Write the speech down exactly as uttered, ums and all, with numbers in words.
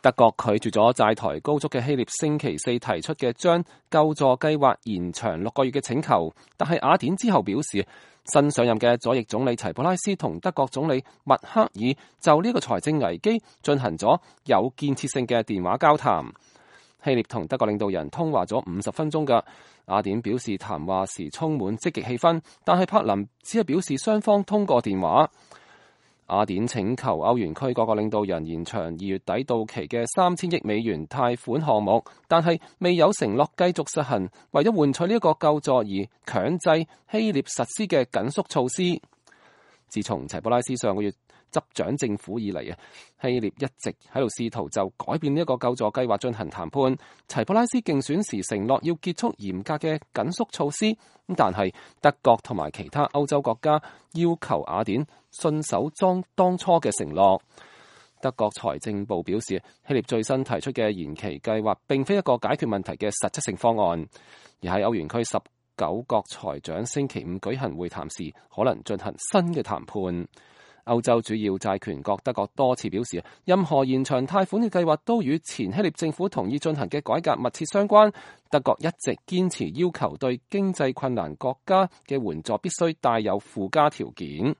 德國拒絕咗債台高築嘅希臘星期四提出嘅將救助計劃延長六個月嘅請求，但係雅典之後表示，新上任嘅左翼總理齊普拉斯同德國總理默克爾就呢個財政危機進行咗有建設性嘅電話交談。希臘同德國領導人通話咗五十分鐘㗎，雅典表示談話時充滿積極氣氛，但係柏林只係表示雙方通過電話。雅典請求歐元區各個領導人延長二月底到期嘅三千億美元貸款項目，但係未有承諾繼續實行為咗換取呢一個救助而強制希臘實施嘅緊縮措施。自從齊普拉斯上個月執掌政府以嚟啊，希臘一直喺度試圖就改變呢一個救助計劃進行談判。齊普拉斯競選時承諾要結束嚴格嘅緊縮措施，咁但係德國同埋其他歐洲國家要求雅典信守當當初嘅承諾。德國財政部表示，希臘最新提出嘅延期計劃並非一個解決問題嘅實質性方案，而喺歐元區十九國財長星期五舉行會談時，可能進行新嘅談判。歐洲主要債權國德國多次表示，任何延長貸款嘅計劃都與前希臘政府同意進行嘅改革密切相關。德國一直堅持要求對經濟困難國家嘅援助必須帶有附加條件。